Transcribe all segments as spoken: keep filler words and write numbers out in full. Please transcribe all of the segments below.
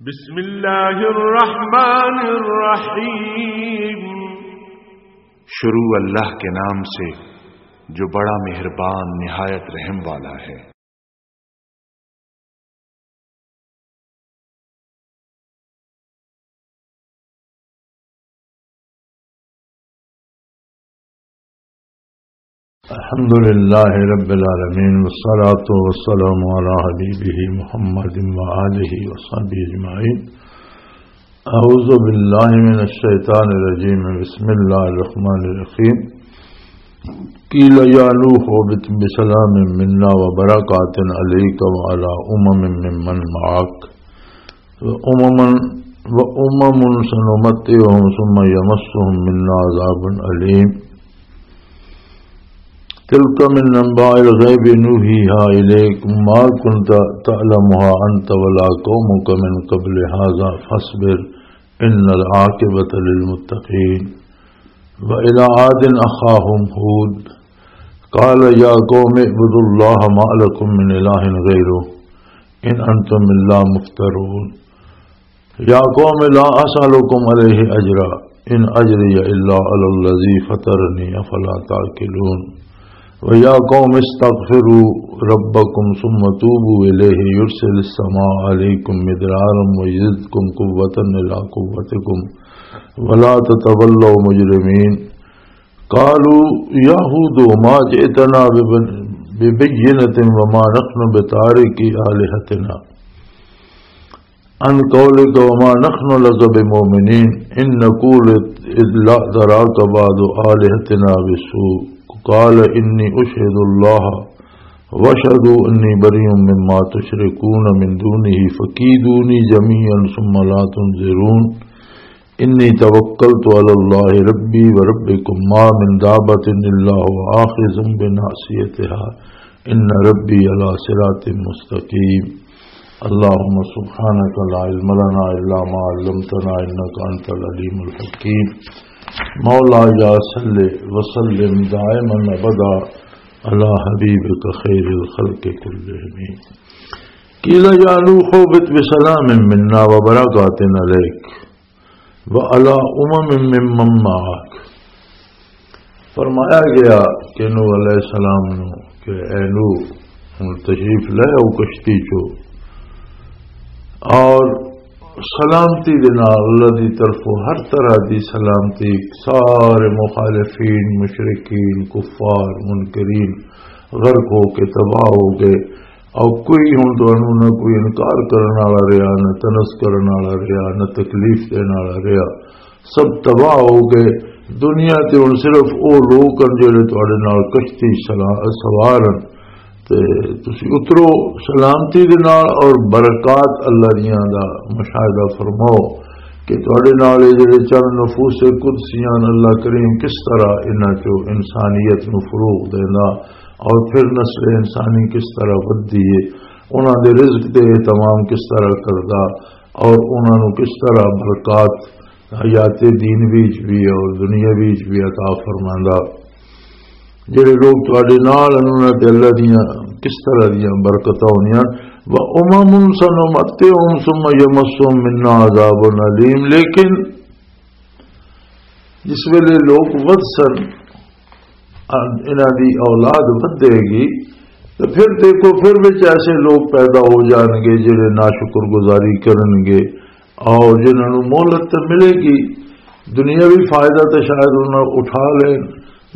بسم اللہ الرحمن الرحیم۔ شروع اللہ کے نام سے جو بڑا مہربان نہایت رحم والا ہے۔ الحمد لله رب العالمين، والصلاة والسلام على حبيبه محمد وآله وصحبه أجمعين. أعوذ بالله من الشيطان الرجيم. بسم الله الرحمن الرحيم. قيل يا نوح اهبط بسلام منا وبركات عليك وعلى أمم ممن معك. وأمم، وأمم سنمتعهم ثم يمسهم منا عذاب أليم. تلك من أنباء الغيب نوحيها إليك ما كنت تعلمها أنت ولا قومك من قبل هذا فاصبر إن العاقبة للمتقين. وإلى عاد أخاهم هود قال يا قوم اعبدوا الله ما لكم من إله غيره إن أنتم إلا مفترون. يا قوم لا أسألكم عليه أجرا إن أجري إلا على الذي فطرني أفلا تعقلون. ويا قوم استغفروا ربكم ثم توبوا إليه يرسل السماء عليكم مدرارا ويزدكم قوة إلى قوتكم ولا تتولوا مجرمين. قالوا يا هود ما جئتنا بب-، ببينة وما نحن بتاركي آلهتنا عن قولك وما نحن لك بمؤمنين إن نقول إلا اعتراك بعض آلهتنا بالسوء قال إني أشهد الله واشهدوا إني بريء مما تشركون من دونه فكيدوني جميعا ثم لا تنظرون. إني توكلت على الله ربي وربكم ما من دابة إلا هو آخذ بناصيتها إن ربي على صراط مستقيم. اللهم سبحانك لا علم لنا إلا ما علمتنا إنك أنت العليم الحكيم. مولاي صل وسلم دائما أبدا على حبيبك خير الخلق كلهم. قيل يا نوح اهبط بسلام منا وبركات عليك وعلى أمم ممن معك. فرمایا گیا کہ نوح علیہ السلام نو کہ اے نوح، ہن تشریف لے آؤ کشتی چو، اور سلامتی دے نال، اللہ دی طرفوں ہر طرح دی سلامتی، سارے مخالفین، مشرکین، کفار، منکرین غرق ہو کے تباہ ہو گئے۔ اور کوئی ہن تانوں نہ کوئی انکار کرن والا رہیا، نہ تنس کرن والا رہیا، نہ تکلیف دین والا رہیا۔ سب تباہ ہو گئے۔ دنیا تے ہن صرف او لوگ ہن جڑے تہاڈے نال کشتی سلا-، سوار ہن۔ تے تسی اترو سلامتی دے نال اور برکات اللہ دیاں دا مشاہدہ فرماؤ کہ تہاڈے نال اے جڑے چند نفوس قدسیاں ہن، اللہ کریم کس طرح انہاں چوں انسانیت نوں فروغ دیندا اور پھر نسل انسانی کس طرح ودھدی ہے، انہاں دے رزق تے اہتمام کس طرح کردا اور انہاں نوں کس طرح برکات حیات دین وچ بھی اور دنیا وچ بھی عطا فرماندا۔ جڑے لوگ تہاڈے نال ہن، انہاں تے اللہ دیاں کس طرح دیاں برکتاں ہونیاں۔ وَأُمَمٌ سَنُمَتِّعُهُمْ ثُمَّ يَمَسُّهُمْ مِنَّا عَذَابٌ أَلِيمٌ۔ لیکن جس ویلے لوگ ودھ سن، انہاں دی اولاد ودھے گی، تے پھر دیکھو، پھر وچ ایسے لوگ پیدا ہو جان گے جڑے ناشکر گزاری کرن گے، اور جنہاں نوں مہلت تے ملے گی، دنیاوی فائدہ تے شاید انہاں اٹھا لین،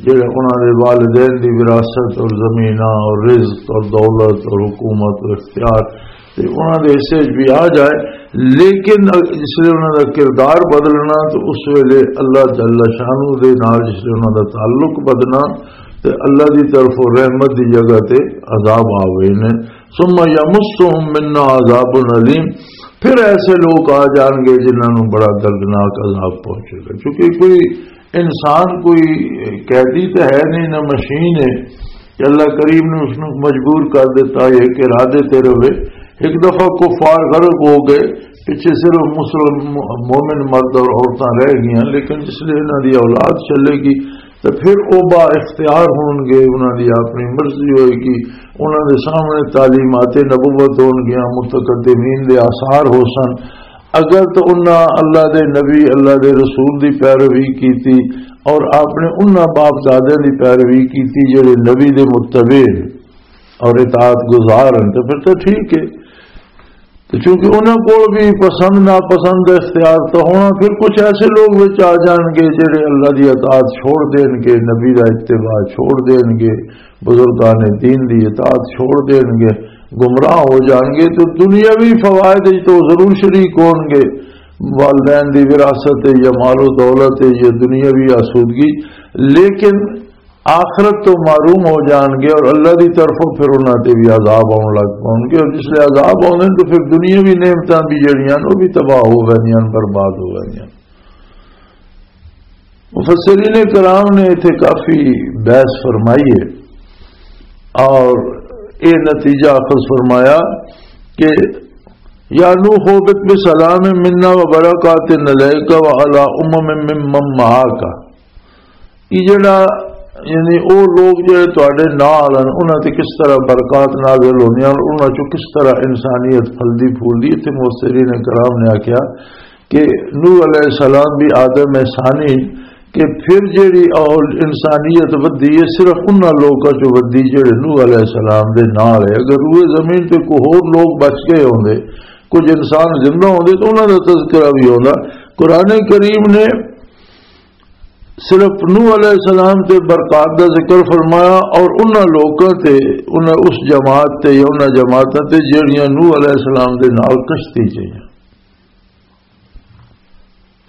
جڑے انہاں دے والدین دی وراثت اور زمیناں اور رزق اور دولت اور حکومت اور اختیار تے انہاں دے حصے وچ بھی آ جائے، لیکن جس ویلے انہاں دا کردار بدلنا تو اس ویلے اللہ جل شانہ دے نال جس ویلے انہاں دا تعلق بدلنا تے اللہ دی طرفوں رحمت دی جگہ تے عذاب آ گئے نے۔ ثم یمسہم منا عذاب الیم، پھر ایسے لوگ آ جان گے جنہاں نوں بڑا دردناک عذاب پہنچے گا، کیونکہ کوئی انسان کوئی قیدی تے ہے نہیں، نہ مشین ہے کہ اللہ کریم نے اس نوں مجبور کر دیتا ہے کہ ارادے تے رہے۔ ایک دفعہ کفار غرق ہو گئے، پچھے صرف مسلم مومن مرد اور عورتاں رہ گئیاں، لیکن جس لئے انہاں دی اولاد چلے گی تو پھر او با اختیار ہون گے، انہاں دی اپنی مرضی ہوئے گی، انہاں دے سامنے تعلیمات نبوت ہون گیاں، متقدمین دے آثار ہو سن، اگر تو انہاں اللہ دے نبی، اللہ دے رسول دی پیروی کیتی اور اپنے انہاں باپ دادے دی پیروی کیتی جڑے نبی دے متبع اور اطاعت گزار ہیں، تو پھر تو ٹھیک ہے۔ تو چونکہ انہاں کول بھی پسند ناپسند دا اختیار تو ہونا، پھر کچھ ایسے لوگ وچ آ جان گے جڑے اللہ دی اطاعت چھوڑ دین گے، نبی دا اتباع چھوڑ دین گے، بزرگان دین دی اطاعت چھوڑ دین گے، گمراہ ہو جان گے۔ تو دنیاوی فوائد وچ تو ضرور شریک ہون گے، والدین دی وراثت ہے یا مال و دولت ہے یا دنیاوی آسودگی، لیکن آخرت تو محروم ہو جان گے اور اللہ دی طرفوں پھر انہاں تے بھی عذاب آن لگ پون گے، اور جس لے عذاب آن تو پھر دنیاوی نعمتاں بھی جڑیاں نے، وہ بھی تباہ ہو ویندیاں، برباد ہو ویندیاں۔ مفسرین کرام نے اتھے کافی بحث فرمائی ہے اور یہ نتیجہ اخذ فرمایا کہ یا نوح اهبط بسلام منا وبركات عليك وعلى أمم ممن معك۔ یہ جڑا، یعنی او لوگ جڑے تواڈے نال ہن، انہاں تے کس طرح برکات نازل ہوندیاں، اور انہاں چوں کس طرح انسانیت پھلدی پھولدی۔ تے مفسرین کرام نے آکھیا کہ نوح علیہ السلام بھی آدم ثانی، کہ پھر جڑی اول انسانیت ودی ہے، صرف انہاں لوکاں چوں ودی جڑے نوح علیہ السلام دے نال ہے۔ اگر روئے زمین تے کوئی ہور لوگ بچ گئے ہوندے، کچھ انسان زندہ ہوندے، تو انہاں دا تذکرہ بھی ہوندا۔ قرآن کریم نے صرف نوح علیہ السلام تے برکات دا ذکر فرمایا اور انہاں لوکاں تے، انہاں، اس جماعت تے یا انہاں جماعتاں تے جڑیاں نوح علیہ السلام دے نال کشتی چ ہیاں۔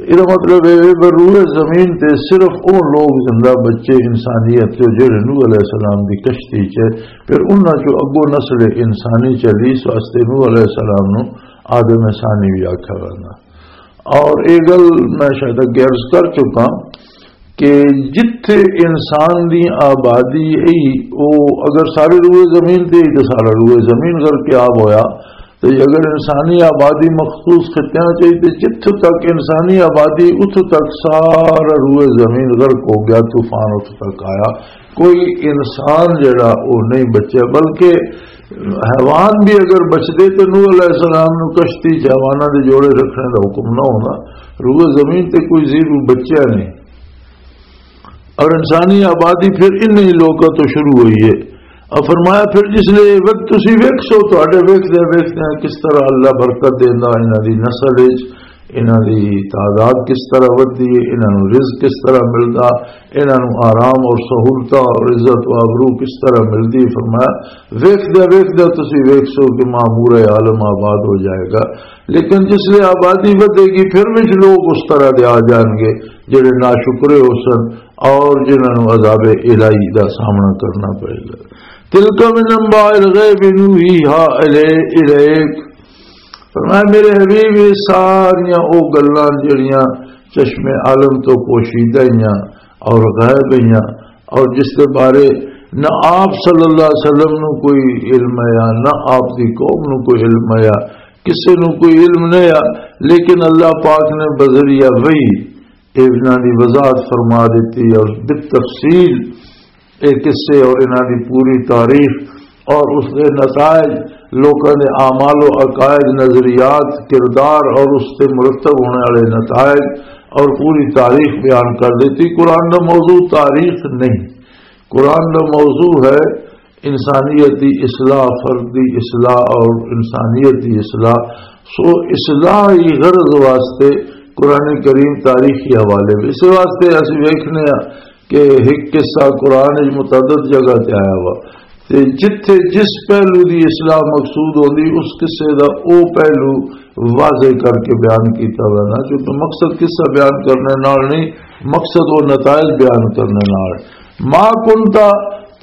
یہ مطلب ہے کہ روئے زمین تے صرف وہ لوگ زندہ بچے انسانیت جو جڑے نوح علیہ السلام دی کشتی چ، پھر انہاں چوں اگوں نسل انسانی چلی، اس واسطے نوح علیہ السلام نو آدم ثانی بھی آکھیا ویندا۔ اور یہ گل میں شاید اگے عرض کر چکا کہ جتھے انسان دی آبادی ای، او اگر سارے روئے زمین تے ای، تے سارا روئے زمین غرق آب ہویا، تے اگر انسانی آبادی مخصوص خطیاں چ ای، تے جتھوں تک انسانی آبادی، اتھوں تک سارا روئے زمین غرق ہو گیا، طوفان اتھوں تک آیا، کوئی انسان جڑا او نہیں بچیا، بلکہ حیوان بھی اگر بچدے تے نوح علیہ السلام نو کشتی چ حیواناں دے جوڑے رکھنے دا حکم نہ ہونا۔ روئے زمین تے کوئی زیرو بچیا نہیں، اور انسانی آبادی پھر انہی لوکاں تو شروع ہوئی ہے۔ اور فرمایا، پھر جس لے وقت تسی ویکھسو، تہاڈے ویکھدے ویکھدے کس طرح اللہ برکت دیندا انہاں دی نسل وچ، انہاں دی تعداد کس طرح ودھدی ہے، انہاں نوں رزق کس طرح ملدا، انہاں نوں آرام اور سہولتاں اور عزت و آبرو کس طرح ملدی۔ فرمایا، ویکھدے ویکھدے تسی ویکھسو کہ معمور عالم آباد ہو جائے گا۔ لیکن جس لے آبادی ودھے گی، پھر وچ لوگ اس طرح دے آ جان گے جڑے ناشکرے ہو سن اور جنہاں نوں عذاب الہی دا سامنا کرنا پئے گا۔ تلک من انباء الغیب نوحیہا الی-، الیک۔ فرمایا، میرے حبیب، یہ ساریاں او گلاں جڑیاں چشم عالم تو پوشیدہ ہیاں اور غائب ہیاں، اور جس دے بارے نہ آپ صلی اللہ علیہ وسلم نو کوئی علم ہے، نہ آپ دی قوم نو کوئی علم ہے، کسے نو کوئی علم نہیں ہے، لیکن اللہ پاک نے بذریعہ وحی انہاں دی وضاحت فرما دیتی اور بالتفصیل اے قصے اور انہاں دی پوری تاریخ اور اس دے نتائج، لوکاں دے اعمال و عقائد، نظریات، کردار اور اس تے مرتب ہونے والے نتائج اور پوری تاریخ بیان کر دیتی۔ قرآن دا موضوع تاریخ نہیں، قرآن دا موضوع ہے انسانیت دی اصلاح، فرد دی اصلاح اور انسانیت دی اصلاح۔ سو اصلاح ہی غرض واسطے قرآن کریم تاریخی حوالے وچ، اس واسطے اسی ویکھنے ہاں کہ ایک قصہ قرآن وچ متعدد جگہ تے آیا ہوا، تے جتھے جس پہلو دی اصلاح مقصود ہوندی، اس قصے دا او پہلو واضح کر کے بیان کیتا ہوا نا، کیونکہ مقصد قصہ بیان کرنے نال نہیں، مقصد او نتائج بیان کرنے نال۔ ما کنت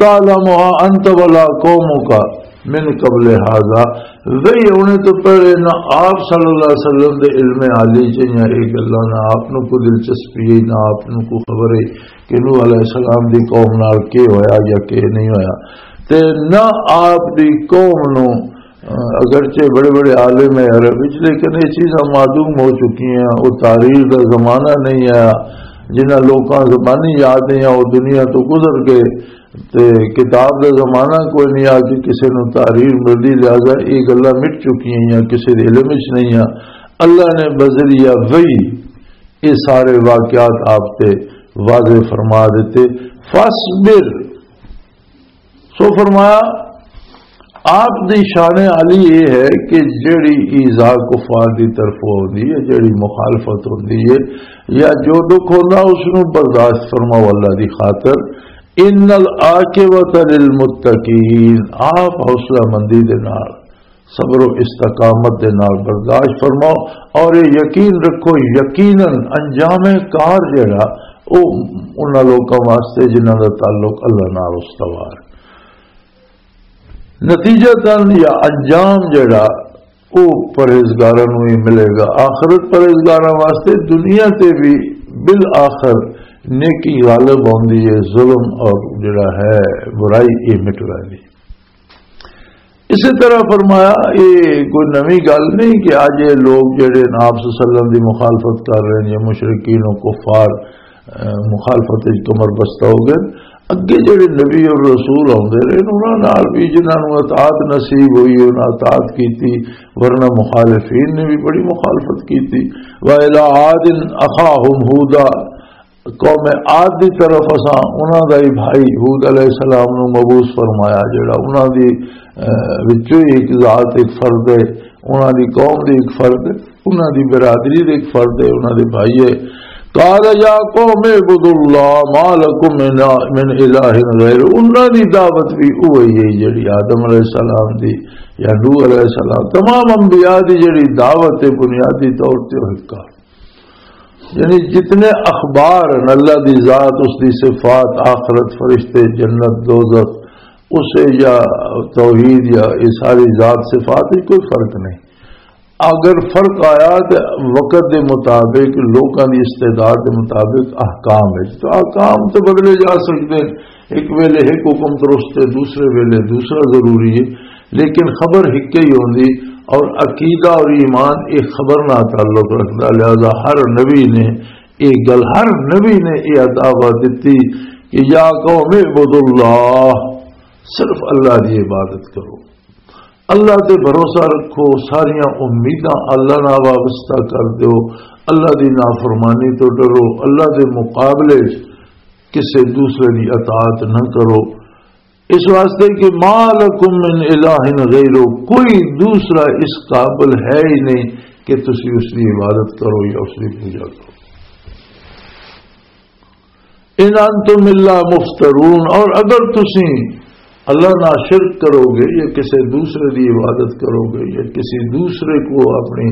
تعلمها انت ولا قومک من قبل هذا، وہی ہونے تو پہلے نہ آپ صلی اللہ علیہ وسلم دے علم عالی چ یا یہ گلاں نہ آپ نو کوئی دلچسپی ہے، نہ آپ نو کوئی خبر ہے کہ نوح علیہ السلام دی قوم نال کی ہویا یا کی نہیں ہویا، تے نہ آپ دی قوم نو، اگرچہ بڑے بڑے عالم ہیں عرب وچ، لیکن یہ چیزاں معدوم ہو چکی ہیں۔ وہ تاریخ دا زمانہ نہیں آیا، جنہاں لوکاں زبانی یاد نہیں آ، وہ دنیا تو گزر گئے۔ تے کتاب دا زمانہ کوئی نہیں آ کہ کسے نوں تحریر ملدی، لہذا یہ گلاں مٹ چکی ہیں یا کسے دے علم وچ نہیں آ۔ اللہ نے بذریعہ وحی یہ سارے واقعات آپ تے واضح فرما دیتے۔ فاصبر، سو فرمایا، آپ دی شان عالی یہ ہے کہ جڑی ایذا کفار دی طرف ہوندی ہے، جڑی مخالفت ہوندی ہے یا جو دکھ ہوندا، اس نوں برداشت فرماؤ اللہ دی خاطر۔ ان العاقبۃ للمتقین، آپ حوصلہ مندی دے نال، صبر و استقامت دے نال برداشت فرماؤ، اور یہ یقین رکھو، یقیناً انجام کار جڑا، او انہاں لوکاں واسطے جنہاں دا تعلق اللہ نال استوار۔ نتیجہ تن یا انجام جڑا، او پرہیزگاراں نوں ہی ملے گا۔ آخرت پرہیزگاراں واسطے، دنیا تے بھی بالآخر نیکی غالب ہوندی ہے، ظلم اور جڑا ہے برائی، یہ مٹ ویندی۔ اسی طرح فرمایا، یہ کوئی نویں گل نہیں کہ اج یہ لوگ جڑے آپ صلی اللہ علیہ وسلم دی مخالفت کر رہے ہیں، یہ مشرکین و کفار، اہ، مخالفت وچ کمر بستہ ہو گئے۔ اگے جڑے نبی اور رسول آندے رہے، انہاں نال بھی جنہاں نوں اطاعت نصیب ہوئی، انہاں اطاعت کیتی، ورنہ مخالفین نے بھی بڑی مخالفت کیتی۔ وَإِلَىٰ عَادٍ أَخَاهُمْ هُودًا، قوم عاد دی طرف اساں انہاں دا ہی بھائی ہود علیہ السلام نوں مبعوث فرمایا، جڑا انہاں دی، اہ، وچوں ہی ایک ذات، ایک فرد ہے، انہاں دی قوم دی ایک فرد ہے، انہاں دی برادری دے ایک فرد ہے، انہاں دے بھائی ہے۔ قال یا قوم اعبدوا اللہ ما لکم من، من الہ غیر۔ انہاں دی دعوت بھی وہی ہے جڑی آدم علیہ السلام دی یا نوح علیہ السلام، تمام انبیاء دی جڑی دعوت ہے بنیادی طور تے وہ ایک ہے۔ یعنی جتنے اخبار ہیں، اللہ دی ذات، اس دی صفات، آخرت، فرشتے، جنت، دوزخ، اسے یا توحید یا یہ ساری ذات صفات وچ کوئی فرق نہیں۔ اگر فرق آیا تو وقت دے مطابق، لوکاں دی استعداد دے مطابق احکام ہے، تو احکام تو بدلے جا سکتے ہیں۔ ایک ویلے ایک حکم درست ہے، دوسرے ویلے دوسرا ضروری ہے، لیکن خبر ہکے ہی ہوندی۔ اور عقیدہ اور ایمان ایک خبر نہ تعلق رکھدا، لہذا ہر نبی نے یہ گل، ہر نبی نے یہ دعوت دیتی کہ یا قوم اعبدوا اللہ، صرف اللہ دی عبادت کرو، اللہ تے بھروسہ رکھو، ساریاں امیداں اللہ نال وابستہ کر دیو، اللہ دی نافرمانی تو ڈرو، اللہ دے مقابلے کسے دوسرے دی اطاعت نہ کرو، اس واسطے کہ ما لکم من الہ غیرہ، کوئی دوسرا اس قابل ہے ہی نہیں کہ تسی اس دی عبادت کرو یا اس دی پوجا کرو۔ ان انتم الا مفترون، اور اگر تسی اللہ نال شرک کرو گے یا کسی دوسرے دی عبادت کرو گے یا کسی دوسرے کو اپنی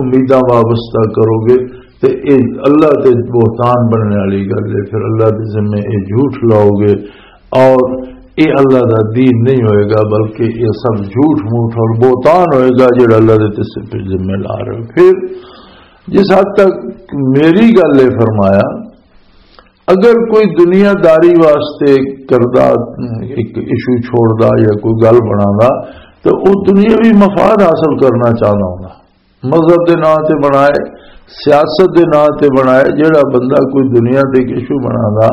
امیداں وابستہ کرو گے تے اے اللہ تے بہتان بننے والی گل ہے، پھر اللہ دے ذمے اے جھوٹ لاؤ گے اور اے اللہ دا دین نہیں ہوئے گا، بلکہ اے سب جھوٹ موٹ اور بہتان ہوئے گا جڑا اللہ دے تے سر پہ ذمے لا رہے ہو۔ پھر جس حد تک میری گل ہے فرمایا، اگر کوئی دنیا داری واسطے کردہ ایک ایشو چھوڑدا یا کوئی گل بنادا تو وہ دنیاوی مفاد حاصل کرنا چاہتا ہوندا، مذہب دے نام تے بنائے، سیاست دے نام تے بنائے، جڑا بندہ کوئی دنیا تے ایک ایشو بنادا،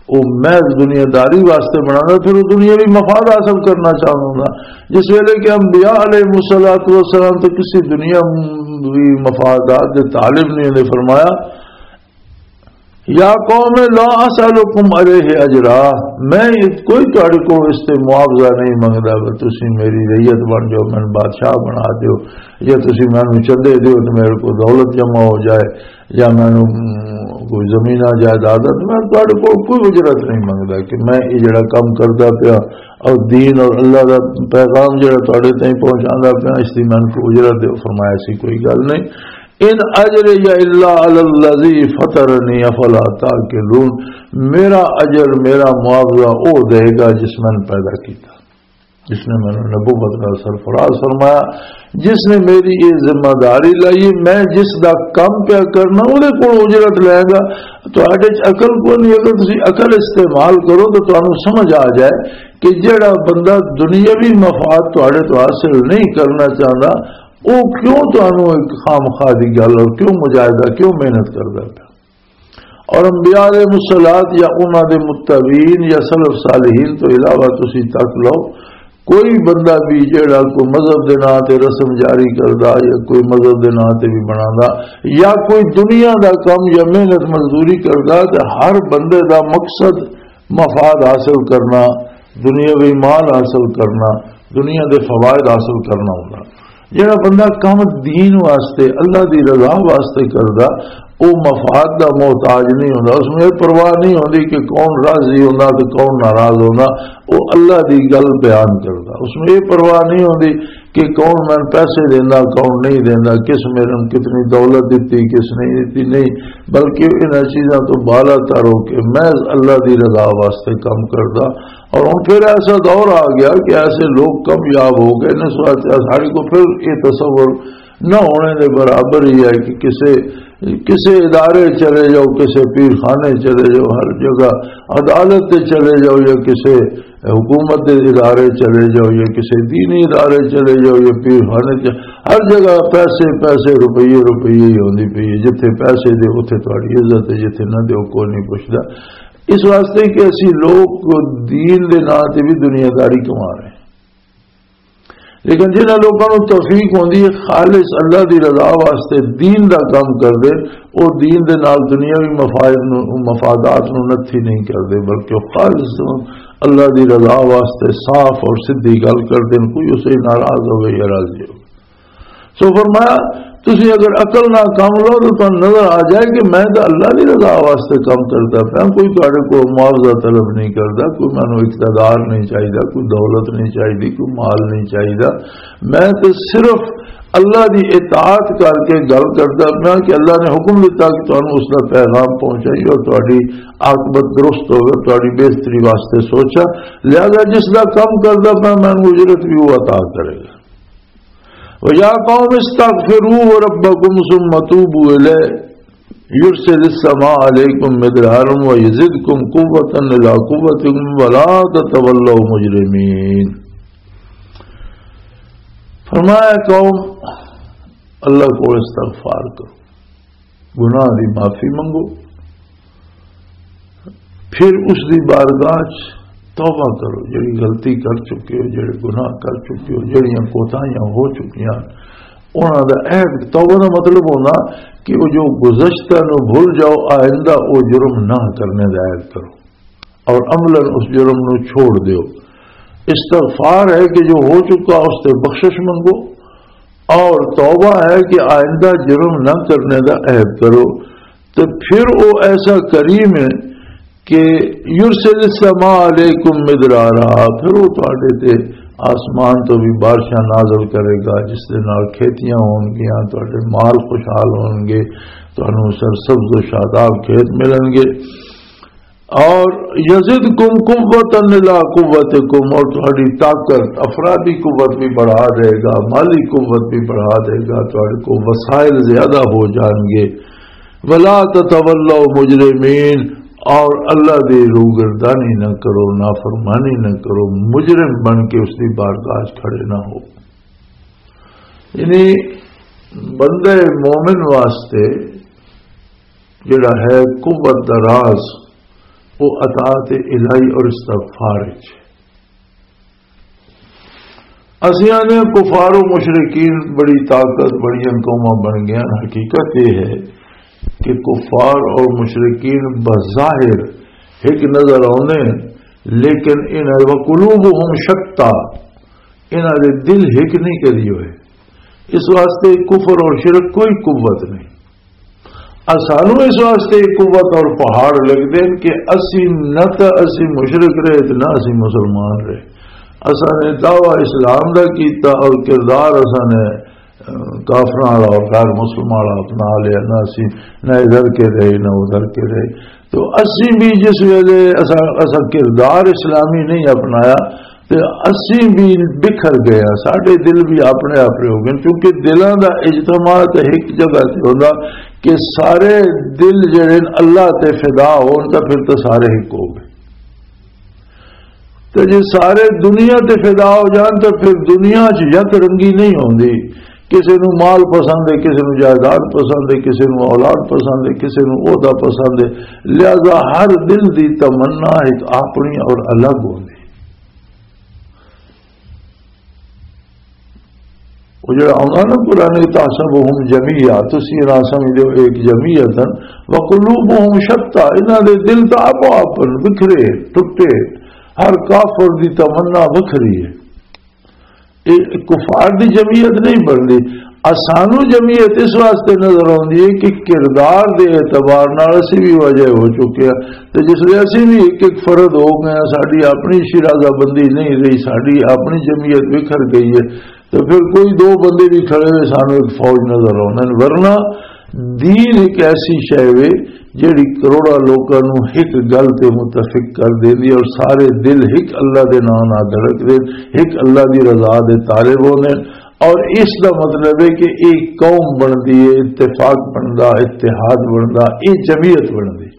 وہ محض دنیا داری واسطے بنادا، پھر وہ دنیاوی مفاد حاصل کرنا چاہتا ہوندا۔ جس ویلے کہ انبیاء علیہ الصلوۃ والسلام تو کسی دنیاوی مفادات دے طالب نہیں نے فرمایا، یا قوم لا اسالکم علیہ اجرا، میں کوئی تہاڈے کول اس تے معاوضہ نہیں منگدا کہ تسی میری رعیت بن جاؤ، مینوں بادشاہ بنا دیو، یا تسی مینوں چندے دیو تے میرے کول دولت جمع ہو جائے، یا مینوں، م، کوئی زمیناں جائیداد ہے، تے میں تہاڈے کول کوئی اجرت نہیں منگدا کہ میں یہ جڑا کم کردا پیا اور دین اور اللہ دا پیغام جڑا تہاڈے تائیں پہنچاندا پیا، اس دی مینوں کوئی اجرت دیو۔ فرمایا، ایسی کوئی گل نہیں۔ ان اجری الا علی الذی فطرنی افلا تعقلون، میرا اجر، میرا معاوضہ او دے گا جس میں نے پیدا کیتا، جس نے مینوں نبوت نال سرفراز فرمایا، جس نے میری یہ ذمہ داری لائی، میں جس دا کم پیا کرنا، اودے کول اجرت لے گا۔ تہاڈے چ عقل کوئی نہیں، اگر تسی عقل استعمال کرو تو تانوں سمجھ آ جائے کہ جڑا بندہ دنیاوی مفاد تہاڈے تو حاصل نہیں کرنا چاہتا، وہ کیوں تانوں ایک خامخواہ دی گل اور کیوں مجاہدہ، کیوں محنت کردا پیا؟ اور انبیاء علیہ الصلوۃ یا انہاں دے متبعین یا سلف صالحین تو علاوہ تسی تک لو، کوئی بندہ بھی جڑا کوئی مذہب دے نام تے رسم جاری کردا یا کوئی مذہب دے نام تے بھی بناندا یا کوئی دنیا دا کم یا محنت مزدوری کردا، تے ہر بندے دا مقصد مفاد حاصل کرنا، دنیاوی مال حاصل کرنا، دنیا دے فوائد حاصل کرنا ہوندا۔ جڑا بندہ کم دین واسطے، اللہ دی رضا واسطے کردا، او مفاد دا محتاج نہیں ہوندا۔ اس نوں یہ پرواہ نہیں ہوندی کہ کون راضی ہوندا تے کون ناراض ہوندا۔ او اللہ دی گل بیان کردا، اس نوں یہ پرواہ نہیں ہوندی کہ کون مینوں پیسے دیندا، کون نہیں دیندا، کس میرے نوں کتنی دولت دتی، کس نہیں دتی، نہیں، بلکہ انہاں چیزاں تو بالا تر ہو کے محض اللہ دی رضا واسطے کم کردا۔ اور ہن پھر ایسا دور آ گیا کہ ایسے لوگ کامیاب ہو گئے نے، سو ایسے ساڈے کو پھر یہ تصور نہ ہونے دے برابر ہی ہے کہ کسے، کسے ادارے چلے جاؤ، کسے پیر خانے چلے جاؤ، ہر جگہ عدالت تے چلے جاؤ یا کسے حکومت دے ادارے چلے جاؤ یا کسے دینی ادارے چلے جاؤ یا پیر خانے چ، ہر جگہ پیسے، پیسے، روپیے، روپیے ہی ہوندی پئی ہے۔ جتھے پیسے دے، اتھے تہاڈی عزت ہے، جتھے نہ دے، کوئی نہیں پوچھدا۔ اس واسطے کہ اسی لوگ دین دے نام تے بھی دنیا داری کما رہے ہیں۔ لیکن جنہاں لوکاں نوں توفیق ہوندی ہے خالص اللہ دی رضا واسطے دین دا کام کردے، او دین دے نال دنیاوی مفائد نوں، مفادات نوں نتھی نہیں کردے، بلکہ او خالص اللہ دی رضا واسطے صاف اور سدھی گل کردے، کوئی اسے ناراض ہوئے یا راضی ہوئے۔ سو فرمایا، تسی اگر عقل نال کام لو تو تانوں نظر آ جائے کہ میں تو اللہ دی رضا واسطے کام کردا پیا، کوئی تہاڈے کول معاوضہ طلب نہیں کردا، کوئی مینوں اقتدار نہیں چاہیدا، کوئی دولت نہیں چاہیدی، کوئی مال نہیں چاہیدا۔ میں تے صرف اللہ دی اطاعت کر کے گل کردا پیا کہ اللہ نے حکم دتا کہ تانوں اس دا پیغام پہنچائی اور تہاڈی عاقبت درست ہوگی، تہاڈی بہتری واسطے سوچا۔ لہذا جس دا کم کردا پیا، مینوں اجرت بھی وہ عطا کرے گا۔ وَيَا قَوْمِ اسْتَغْفِرُوا رَبَّكُمْ ثُمَّ تُوبُوا إِلَيْهِ يُرْسِلِ السَّمَاءَ عَلَيْكُمْ مِدْرَارًا وَيَزِدْكُمْ قُوَّةً إِلَىٰ قُوَّتِكُمْ وَلَا تَتَوَلَّوْا مُجْرِمِينَ۔ فرمایا، قوم، اللہ کو استغفار کرو، گناہ دی معافی منگو، پھر اس دی بارگاہ چ توبہ کرو، جڑی غلطی کر چکے ہو، جڑے گناہ کر چکے ہو، جڑیاں کوتاہیاں ہو چکیاں، انہاں دا عہد، توبہ دا مطلب ہونا کہ وہ جو گزشتہ نو بھول جاؤ، آئندہ وہ جرم نہ کرنے دا عہد کرو اور عملاً اس جرم نو چھوڑ دیو۔ استغفار ہے کہ جو ہو چکا اس تے بخشش منگو، اور توبہ ہے کہ آئندہ جرم نہ کرنے دا عہد کرو۔ تے پھر او ایسا کریم ہے کہ یرسل السماء علیکم مدرارا، پھر او تہاڈے تے آسمان تو بھی بارشاں نازل کرے گا، جس دے نال کھیتیاں ہون گیاں، تہاڈے مال خوشحال ہون گے، تانوں سرسبز و شاداب کھیت ملن گے۔ اور یزدکم قوتا الی قوتکم، اور تہاڈی طاقت، افرادی قوت بھی بڑھا دے گا، مالی قوت بھی بڑھا دے گا، تہاڈے کو وسائل زیادہ ہو جان گے۔ ولا تتولوا مجرمین، اور اللہ دی روگردانی نہ کرو، نافرمانی نہ کرو، مجرم بن کے اس دی بارگاہ وچ کھڑے نہ ہو۔ یعنی بندہ مومن واسطے جڑا ہے قوت دا راز، وہ اطاعت الہی اور استغفار وچ۔ اسیں آنے کفار و مشرکین بڑی طاقت، بڑیاں قوماں بن گئے۔ حقیقت یہ ہے کہ کفار اور مشرکین بظاہر ایک نظر آنے، لیکن ان وقلوبہم شتیٰ، انہاں دے دل ایک نہیں کری ہوئے۔ اس واسطے کفر اور شرک کوئی قوت نہیں۔ اسانوں اس واسطے قوت اور پہاڑ لگدے نے کہ اسی نہ تاں اسی مشرک رہے تے نہ اسی مسلمان رہے۔ اساں نے دعویٰ اسلام دا کیتا اور کردار اساں نے، اہ، کافراں والا اور غیر مسلمان والا اپنا لیا، نہ اسی نہ ادھر کے رہے نہ ادھر کے رہے۔ تو اسی بھی جس ویلے اساں، اساں کردار اسلامی نہیں اپنایا، تے اسی بھی بکھر گئے ہاں، ساڈے دل بھی اپنے آپ ہو گئے، کیونکہ دلاں دا اجتماع تے ایک جگہ تے ہوندا کہ سارے دل جڑے نے اللہ تے فدا ہون تاں پھر تاں سارے ایک ہو گئے۔ تے جے سارے دنیا تے فدا ہو جان تاں پھر دنیا چ یک رنگی نہیں ہوندی، کسے نو مال پسند ہے، کسے نو جائیداد پسند ہے، کسے نو اولاد پسند ہے، کسے نو عہدہ پسند ہے، لہذا ہر دل دی تمنا ایک اپنی اور الگ ہوندی۔ وہ جڑا آندا نا قرآن، "تحسبهم جميعا"، تسی نہ سمجھو ایک جمعیت ہن، "وقلوبهم شتى"، انہاں دے دل تاں آپو آپ ہن، بکھرے، ٹٹے، ہر کافر دی تمنا وکھری ہے۔ یہ کفار دی جمعیت نہیں بندی۔ اسانو جمعیت اس واسطے نظر آندی ہے کہ کردار دے اعتبار نال اسی بھی واجہ ہو چکے ہیں۔ تے جس لئے اسی بھی ایک ایک فرد ہو گئے ہیں، ساڈی اپنی شیرازہ بندی نہیں رہی، ساڈی اپنی جمعیت بکھر گئی ہے، تو پھر کوئی دو بندے بھی کھڑے ہوئے سانو ایک فوج نظر آندے نے۔ ورنہ دین ایک ایسی شے وے جیڑی کروڑاں لوکاں نوں ہک گل تے متفق کر دیندی ہے اور سارے دل ہک اللہ دے نام نال دھڑک دے، ہک اللہ دی رضا دے طالب ہوندے۔ اور اس دا مطلب ہے کہ ایک قوم بندی ہے، اتفاق بندا، اتحاد بندا، یہ جمعیت بندی۔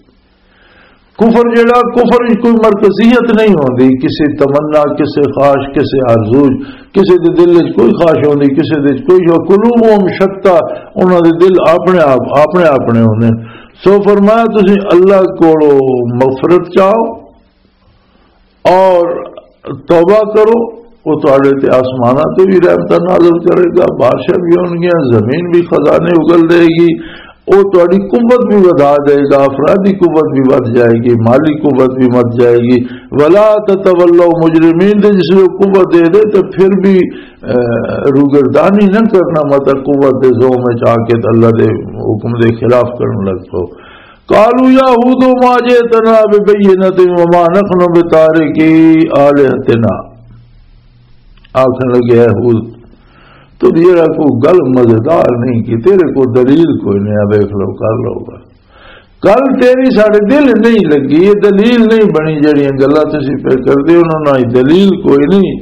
کفر جڑا، کفر وچ کوئی مرکزیت نہیں ہوندی، کسی تمنا، کسی خواہش، کسی آرزو، کسی دے دل وچ کوئی خواہش ہوندی، کسی دے وچ کوئی شو-، قلوبہم شتیٰ، انہاں دے دل اپنے آپ، اپنے اپنے ہوندے۔ سو فرمایا، تسی اللہ کولو مغفرت چاہو اور توبہ کرو، وہ تواڈے تے آسماناں تے بھی رحمتاں نازل کرے گا، بارشاں بھی ہونگیاں، زمین بھی خزانے اگل دے گی، وہ تہاڈی قوت بھی ودھا دے گا، افرادی قوت بھی ودھ جائے گی، مالی قوت بھی ودھ جائے گی۔ ولا تتولوا مجرمین، تے جس لوگ قوت دے دے تے پھر بھی، اے، روگردانی نہ کرنا، مطلب قوت دے زوم وچ آ کے تے اللہ دے حکم دے خلاف کرن لگ پو۔ قالوا یا ہود ما جئتنا ببینۃ وما نحن بتارکی آلہتنا۔ آکھن لگے، اے ہود، تو جیڑا کوئی گل مزیدار نہیں کہ تیرے کو دلیل کوئی نہیں، آ دیکھ لو، کر لو گل۔ گل تیری ساڈے دل نہیں لگی، یہ دلیل نہیں بنی، جڑیاں گلاں تسی پہ کردے ہو، انہاں نال دلیل کوئی نہیں۔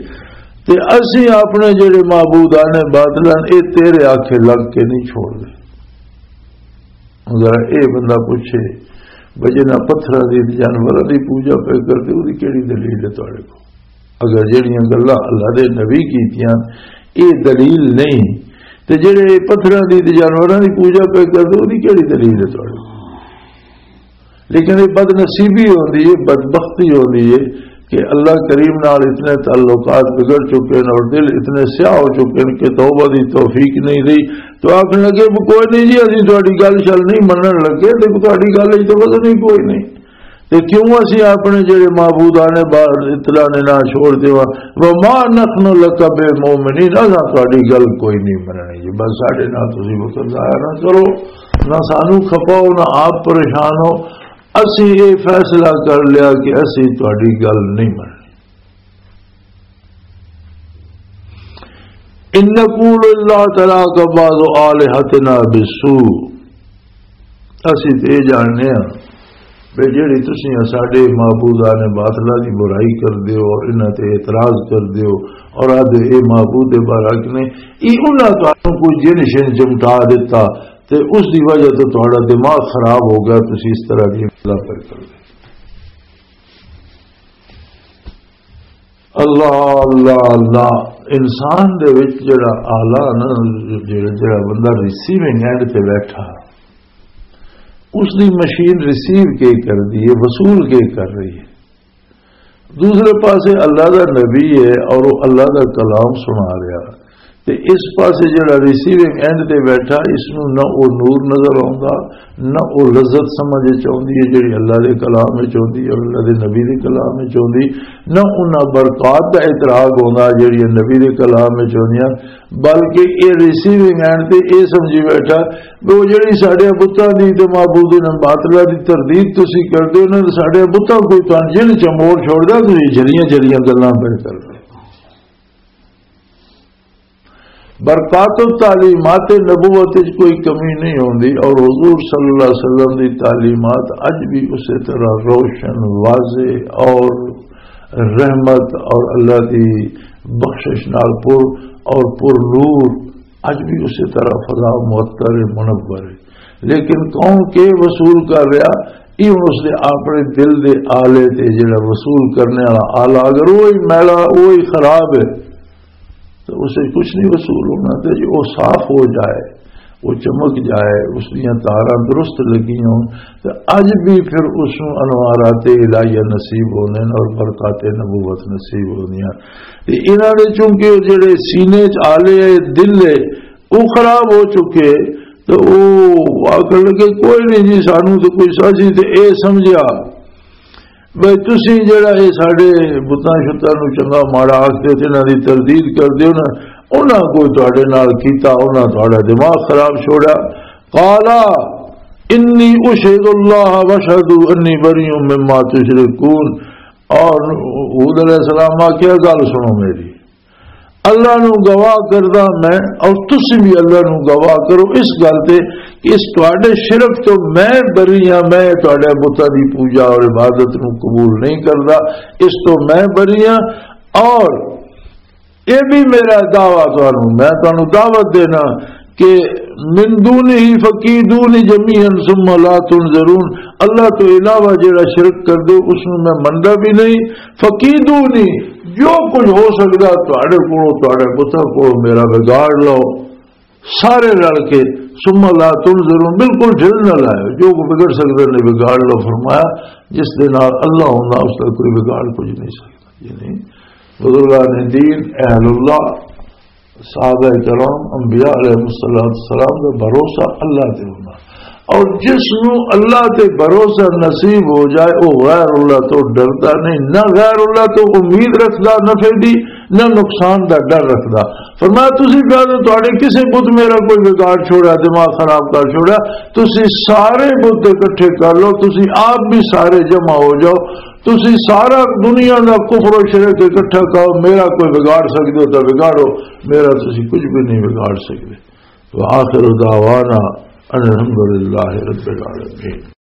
تے اسی اپنے جڑے معبودان باطل ہن، اے تیرے آکھے لگ کے نہیں چھوڑ دے۔ ذرا اے بندہ پوچھے، بھئی جنہاں پتھراں دی تے جانوراں دی پوجا پہ کردے، اودی کیڑی دلیل ہے تہاڈے کول؟ اگر جڑیاں گلاں اللہ دے نبی کیتیاں، اے دلیل نہیں، تے جڑے پتھراں دی تے جانوراں دی پوجا پہ کردے، اودی کیڑی دلیل ہے تہاڈے کول؟ لیکن یہ بد نصیبی ہوندی ہے، بدبختی ہوندی ہے کہ اللہ کریم نال اتنے تعلقات بگڑ چکے ہیں اور دل اتنے سیاہ ہو چکے ہیں کہ توبہ دی توفیق نہیں رہی۔ تو آکھن لگے، "وہ کوئی نہیں جی، اسی تہاڈی گل شل نہیں منن لگے، تے تہاڈی گل وچ تے وزن ہی کوئی نہیں۔" تے کیوں اسی اپنے جڑے معبودان باطلاں نے نہ چھوڑ دیواں؟ "وما نحن لک بمؤمنین"، اساں تہاڈی گل کوئی نہیں مننی جی، بس ساڈے نال تسی وقت ضائع نہ کرو، نہ سانو کھپاؤ، نہ آپ پریشان ہو۔ اسی یہ فیصلہ کر لیا کہ اسی تہاڈی گل نہیں مننی۔ "ان نقول الا تراک بعض آلہتنا بالسوء"، اسی تے یہ جاننے ہاں بے جڑی تسی ساڈے معبودان باطلہ دی برائی کر دیو اور انہاں تے اعتراض کر دیو اور آدھے اے معبود بارک نے، ای انہاں تانوں کوئی جن شن چمٹا دیتا تے اس دی وجہ تو تہاڈا دماغ خراب ہو گیا، تسی اس طرح دی گلاں پر کر دے۔ اللہ، اللہ، اللہ۔ انسان دے وچ جڑا آلہ نا، جڑا، جڑا بندہ ریسیونگ اینڈ تے بیٹھا، اس دی مشین ریسیو کے کر دی ہے، وصول کے کر رہی ہے۔ دوسرے پاسے اللہ دا نبی ہے اور وہ اللہ دا کلام سنا رہا، تے اس پاسے جڑا ریسیونگ اینڈ تے بیٹھا، اس نو نہ او نور نظر آوندا، نہ او لذت سمجھ وچ آوندی ہے جڑی اللہ دے کلام وچ آوندی ہے اور اللہ دے نبی دے کلام وچ آوندی، نہ انہاں برکات دا اعتراف ہوندا جڑی نبی دے کلام وچ ہوندیاں، بلکہ اے ریسیونگ اینڈ تے اے سمجھی بیٹھا کہ او جڑی ساڈے بتاں دی تے معبودان باطلہ دی تردید تسی کردے ہو، انہاں نے ساڈے بتاں کوئی تاں جن چموڑ چھوڑدا، تسی جھلیاں جھلیاں گلاں پہ کردے۔ برکات و تعلیمات نبوت وچ کوئی کمی نہیں ہوندی اور حضور صلی اللہ علیہ وسلم دی تعلیمات اج بھی اسی طرح روشن، واضح اور رحمت اور اللہ دی بخشش نال پر اور پر نور اج بھی اسی طرح فضا معطر ہے، منور ہے۔ لیکن کون کے وصول کر رہا، یہ ہن اس دے اپنے دل دے آلے تے جڑا وصول کرنے والا آلہ، اگر وہی میلا، وہی خراب ہے، تو اسے کچھ نہیں وصول ہونا۔ تے جی وہ صاف ہو جائے، وہ چمک جائے، اس دیاں تاراں درست لگی ہون، تے اج بھی پھر اس نوں انوارات الہیہ نصیب ہوندے نے اور برکات نبوت نصیب ہوندیاں۔ تے انہاں دے چونکہ او جڑے سینے چ آلے ہے، دل ہے، او خراب ہو چکے، تے او آکھن لگے، "کوئی نہیں جی، سانوں تے کوئی سازی تے اے سمجھیا۔" بھئی تسی جڑا اے ساڈے بتاں شتاں نوں چنگا ماڑا آکھدے تے انہاں دی تردید کردے ہو نا، انہاں کوئی تہاڈے نال کیتا، انہاں تہاڈا دماغ خراب چھوڑا۔ قالا انی اشہد اللہ واشہدوا انی بریء مما تشرکون۔ اور ہود علیہ السلام آکھیا، گل سنو میری، اللہ نو گواہ کردا میں، اور تسی بھی اللہ نو گواہ کرو اس گل تے کہ اس تواڈے شرک تو میں بری ہاں، میں تواڈے بتاں دی پوجا اور عبادت نو قبول نہیں کردا، اس تو میں بری ہاں۔ اور یہ بھی میرا دعویٰ تانوں، میں تانوں دعوت دینا کہ من دونہ فکیدونی جمیعا ثم لا تنظرون، اللہ تو علاوہ جڑا شرک کر دے اس نو میں مندا بھی نہیں، فکیدونی، جو کچھ ہو سکدا تواڈے کولوں، تواڈے بتاں کولوں میرا بگاڑ لو سارے رل کے، ثم لا تنظرون، بالکل ڈھل نہ لائے، جو بگڑ سکدا نہیں بگاڑ لو۔ فرمایا جس دے نال اللہ ہوندا اس دا کوئی بگاڑ کچھ نہیں سکدا۔ یعنی بزرگان دین، اہل اللہ، صحابہ کرام، انبیاء علیہ الصلوۃ والسلام دا بھروسہ اللہ تے ہونا۔ اور جس نو اللہ تے بھروسہ نصیب ہو جائے، وہ غیر اللہ تو ڈردا نہیں، نہ غیر اللہ تو امید رکھدا نفع دی، نہ نقصان دا ڈر رکھدا۔ فرمایا، "تسی کہہ دو تہاڈے کسے بت میرا کوئی بگاڑ چھوڑا، دماغ خراب کر چھوڑا، تسی سارے بت اکٹھے کر لو، تسی آپ بھی سارے جمع ہو جاؤ، تسی سارا دنیا دا کفر و شرک اکٹھا کرو، میرا کوئی بگاڑ سکدے ہو تو بگاڑو، میرا تسی کچھ بھی نہیں بگاڑ سکدے۔" تو آخر دعوانا ان الحمدللہ رب العالمین۔